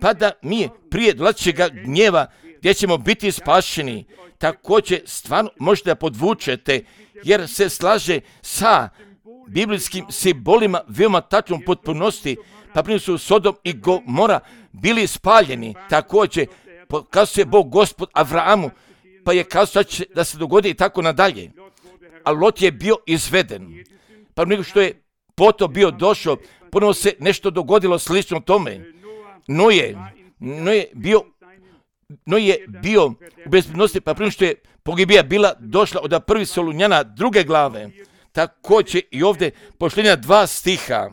pa da mi prije dolazećega gnjeva gdje ćemo biti spašeni, također stvarno možete da podvučete, jer se slaže sa biblijskim simbolima veoma tačnom potpunosti, pa prije su Sodom i Gomora bili spaljeni. Također kazuje Bog Gospod Avrahamu, pa je kazao da se dogodi i tako nadalje. A Lot je bio izveden. Pa nego što je potom bio došao, ponovno se nešto dogodilo slično tome. Noje je bio u bezbednosti, pa prije što je pogibija bila došla od prvi Solunjana 2. glave. Također i ovdje poštenja 2 stiha.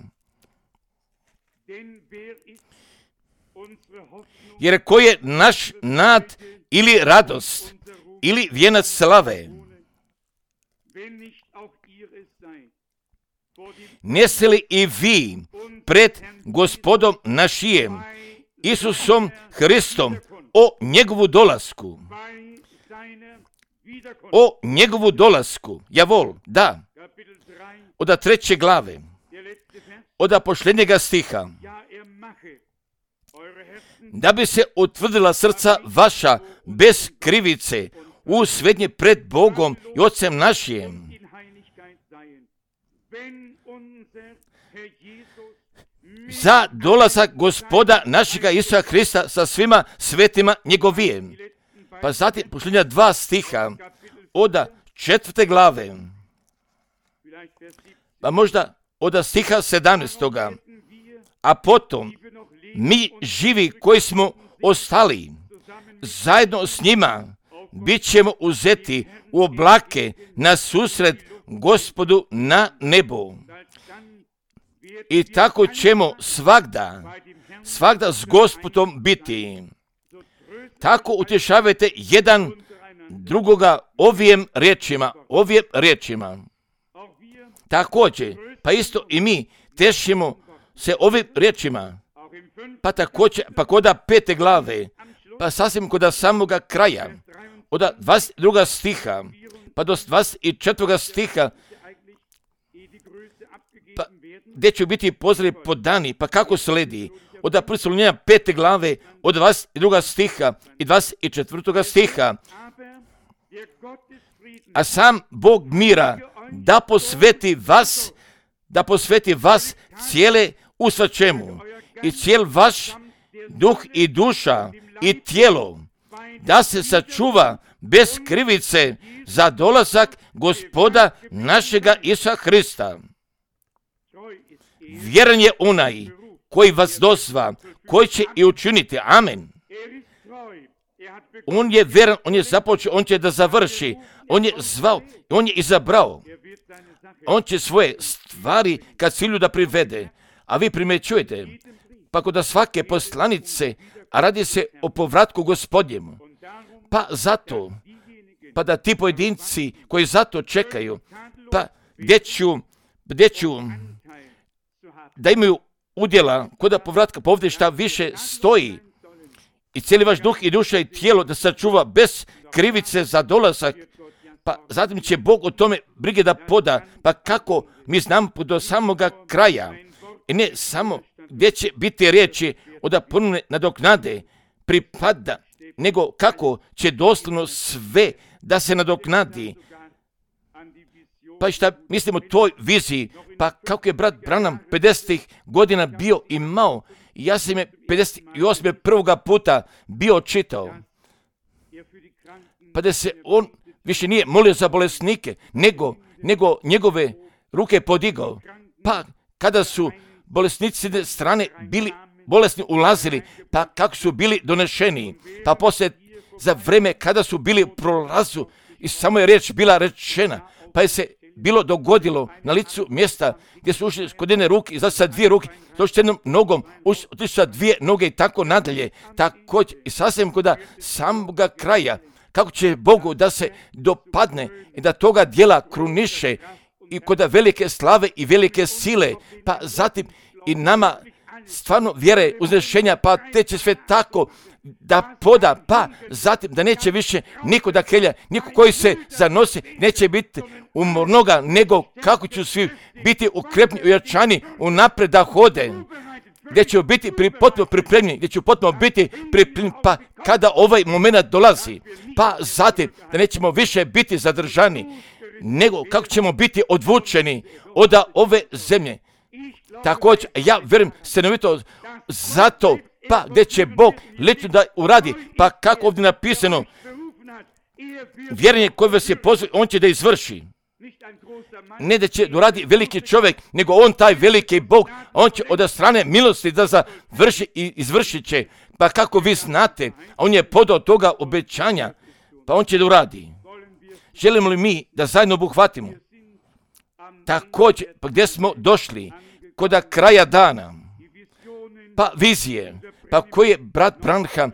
Jer ko je naš nad ili radost ili vijenac slave? Neste li i vi pred Gospodom našijem, Isusom Hristom, o njegovu dolasku? O njegovu dolasku, javol, da. Od 3. glave, od posljednjega stiha. Da bi se utvrdila srca vaša bez krivice u svednje pred Bogom i Otcem našim. Za dolazak Gospoda našega Isusa Hrista sa svima svetima njegovijem. Pa zatim posljednja 2 stiha od 4. glave, pa možda od stiha 17. A potom mi živi koji smo ostali, zajedno s njima bit ćemo uzeti u oblake na susret Gospodu na nebu. I tako ćemo svagda s Gospodom biti. Tako utješavajte jedan drugoga ovim riječima. Također, pa isto i mi tešimo se ovim riječima. Pa također, pa kod 5. glave, pa sasvim kod samoga kraja, od 22. stiha, pa do 24. stiha, pa gdje će biti pozdravi podani, pa kako sledi, od 1. Solunjana 5. glave, od 22. stiha i 24. stiha. A sam Bog mira da posveti vas cijele u svačemu i cijel vaš duh i duša i tijelo, da se sačuva bez krivice za dolazak Gospoda našega Isusa Hrista. Vjeran je onaj koji vas dozva, koji će i učiniti. Amen. On je vjeran, on je započeo, on će da završi. On je zvao, on je izabrao. On će svoje stvari kad cilju da privede. A vi primjećujete, pa kod svake poslanice, a radi se o povratku Gospodnjemu. Pa zato, pa da ti pojedinci koji zato čekaju, pa gdje ću da imaju udjela kod povratka, pa ovdje šta više stoji, i cijeli vaš duh i duša i tijelo da sačuva bez krivice za dolazak, pa zatim će Bog o tome brige da poda, pa kako mi znamo do samoga kraja, i ne samo gdje će biti riječi od ponovne nadoknade pripada, nego kako će doslovno sve da se nadoknadi. Pa šta mislimo o toj viziji, pa kako je brat Branham 50. godina bio imao, ja sam je 58. prvoga puta bio čitao, pa da se on više nije molio za bolesnike, nego njegove ruke podigao. Pa kada su bolesnici s jedne strane bili bolesni ulazili, pa kako su bili donešeni, pa poslije za vreme kada su bili u prolazu i samo je riječ bila rečena, pa je se bilo dogodilo na licu mjesta gdje su ušli kod jedne ruke, izašli sa dvije ruke, došli s jednom nogom, otišli sa dvije noge i tako nadalje. Također i sasvim kod samoga kraja, kako će Bogu da se dopadne i da toga dijela kruniše i kod velike slave i velike sile, pa zatim i nama stvarno vjere uznešenja, pa te će sve tako da poda, pa zatim da neće više niko da kelja, niko koji se zanosi, neće biti umornoga, nego kako će svi biti ukrepni, ujačani, unapred da hode, gdje će biti potpuno pripremljeni, gdje će potpuno biti pripremljeni, pa kada ovaj moment dolazi, pa zatim da nećemo više biti zadržani, nego kako ćemo biti odvučeni od ove zemlje. Također, ja vjerujem stanovito zato, pa gdje će Bog lično da uradi, pa kako ovdje napisano, vjerenje koje vas je pozvao, on će da izvrši. Ne da će uradi veliki čovjek, nego on taj veliki Bog, on će od strane milosti da završi i izvršit će. Pa kako vi znate, on je podao toga obećanja, pa on će da uradi. Želimo li mi da zajedno obuhvatimo? Također, pa gdje smo došli? Kod kraja dana, pa vizije, pa koji je brat Branham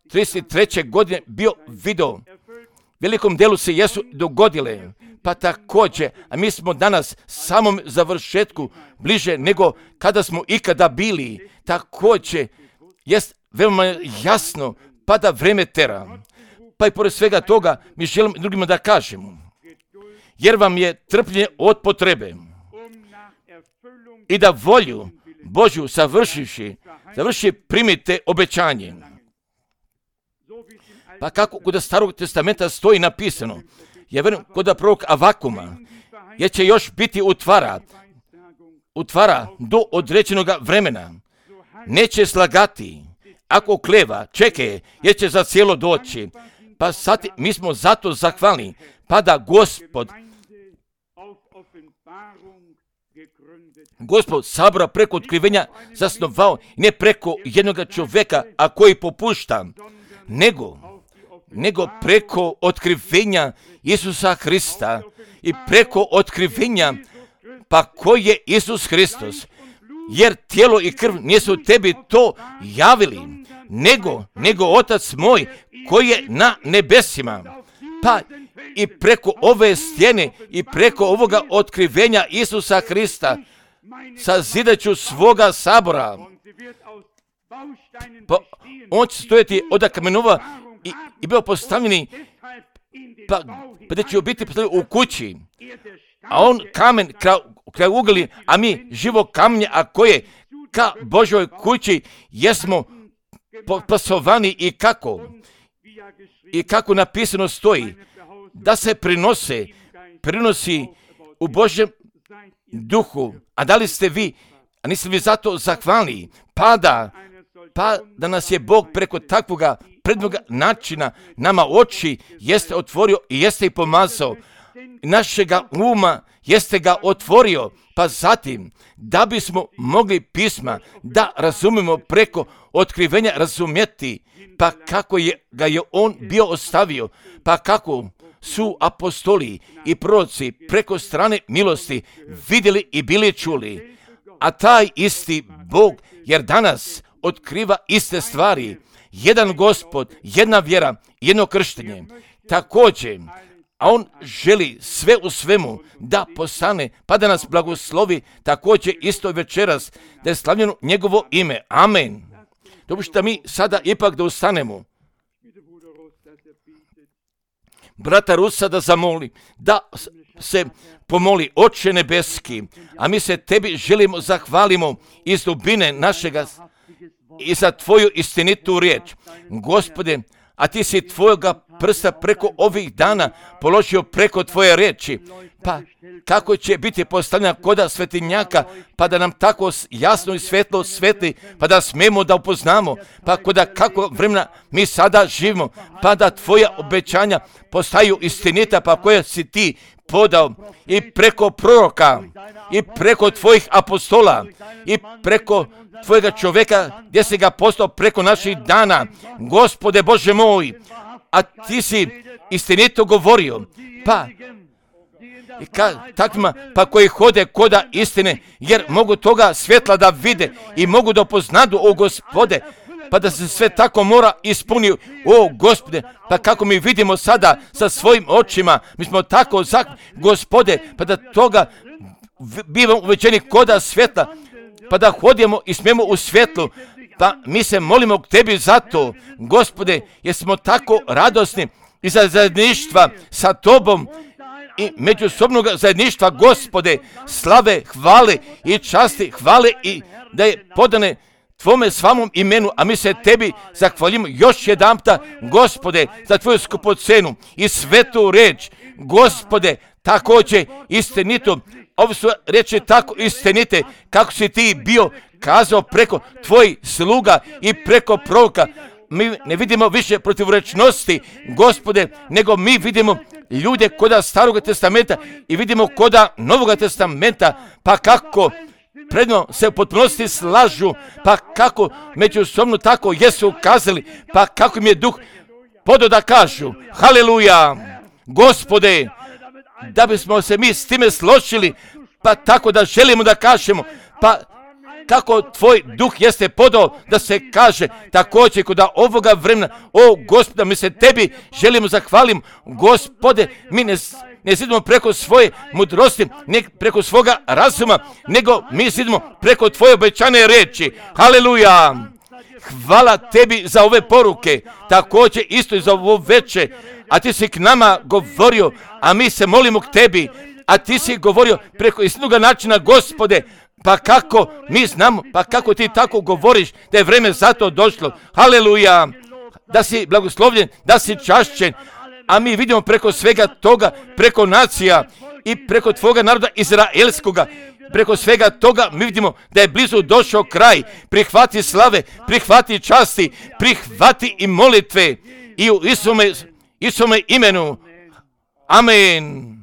33. godine bio video. Velikom delu se jesu dogodile, pa također, a mi smo danas samom završetku bliže nego kada smo ikada bili. Također, jest veoma jasno, pa da vreme tera. Pa i pored svega toga mi želimo drugima da kažemo, jer vam je trpljenje od potrebe i da volju Božju završi primite obećanje. Pa kako kod Starog testamenta stoji napisano, ja vjerujem kod prorok Avakuma, jer će još biti utvara do određenog vremena. Neće slagati, ako kleva, čekaj, jer će za cijelo doći. Pa sad mi smo zato zahvalni, pa da Gospod sabora preko otkrivenja zasnovao, ne preko jednog čovjeka, a koji popušta, nego preko otkrivenja Isusa Hrista i preko otkrivenja, pa koji je Isus Hristos, jer tijelo i krv nisu tebi to javili, nego Otac moj koji je na nebesima. Pa i preko ove stjene i preko ovoga otkrivenja Isusa Hrista sazidat ću svoga sabora. Pa on će stojati od kamenova i bio postavljeni, pa da će biti postavljeni u kući. A on kamen kraj ugli, a mi živo kamenje, a koje ka Božoj kući jesmo pasovani i kako napisano stoji, da se prinosi u Božjem duhu. A da li ste vi, a niste vi zato zahvalni, pa da nas je Bog preko takvoga prednoga načina nama oči jeste otvorio i jeste ih pomazao, našega uma jeste ga otvorio, pa zatim da bismo mogli pisma da razumemo preko otkrivenja razumjeti, pa kako ga je on bio ostavio, pa kako su apostoli i proroci preko strane milosti vidjeli i bili čuli. A taj isti Bog, jer danas otkriva iste stvari, jedan Gospod, jedna vjera, jedno krštenje. Također, a on želi sve u svemu da postane, pa da nas blagoslovi također isto večeras, da je slavljeno njegovo ime. Amen. Dopustite mi sada ipak da ustanemo. Brata Rusa da zamoli, da se pomoli, Oče nebeski, a mi se tebi želimo zahvalimo iz dubine našega i za tvoju istinitu riječ. Gospode, a ti si tvoga prsta preko ovih dana položio preko tvoje riječi, pa kako će biti postavljena koda svetinjaka, pa da nam tako jasno i svetlo svetli, pa da smemo da upoznamo, pa koda kako vremena mi sada živimo, pa da tvoja obećanja postaju istinita, pa koje si ti podao i preko proroka, i preko tvojih apostola, i preko tvojega čovjeka, gdje si ga postao preko naših dana, Gospode Bože moj, a ti si istinito govorio, pa takvima pa koji hode koda istine, jer mogu toga svjetla da vide i mogu da poznadu, o Gospode, pa da se sve tako mora ispuniti, o Gospode, pa kako mi vidimo sada sa svojim očima, mi smo tako Gospode, pa da toga bivamo uvećeni koda svjetla, pa da hodimo i smijemo u svjetlu, pa mi se molimo k tebi zato, Gospode, jer smo tako radosni i za zajedništva sa tobom i međusobnog zajedništva, Gospode, slave, hvale i časti, hvale i da je podane tvome svamom imenu, a mi se tebi zahvaljimo još jedanputa, Gospode, za tvoju skupocenu i svetu reč, Gospode, također istinito, ovo su reči tako istinite, kako si ti bio kazao preko tvojih sluga i preko proroka. Mi ne vidimo više protivrečnosti, Gospode, nego mi vidimo ljude koda Starog testamenta i vidimo koda Novog testamenta, pa kako predno se u potpunosti slažu, pa kako međusobno tako jesu kazali, pa kako im je duh podao da kažu, haleluja, Gospode, da bismo se mi s time složili, pa tako da želimo da kažemo, pa kako tvoj duh jeste podao da se kaže također kod ovoga vremena, o Gospode, mi se tebi želimo zahvalim, Gospode, mi ne sidimo preko svoje mudrosti, ne preko svoga razuma, nego mi sidimo preko tvoje obećane reči, haleluja, hvala tebi za ove poruke, također isto i za ovo veče, a ti si k nama govorio, a mi se molimo k tebi, a ti si govorio preko istinoga načina, Gospode, pa kako mi znamo, pa kako ti tako govoriš da je vreme za to došlo, haleluja, da si blagoslovljen, da si čašćen, a mi vidimo preko svega toga, preko nacija i preko tvoga naroda izraelskoga, preko svega toga mi vidimo da je blizu došao kraj, prihvati slave, prihvati časti, prihvati i molitve i u Isome imenu, amen.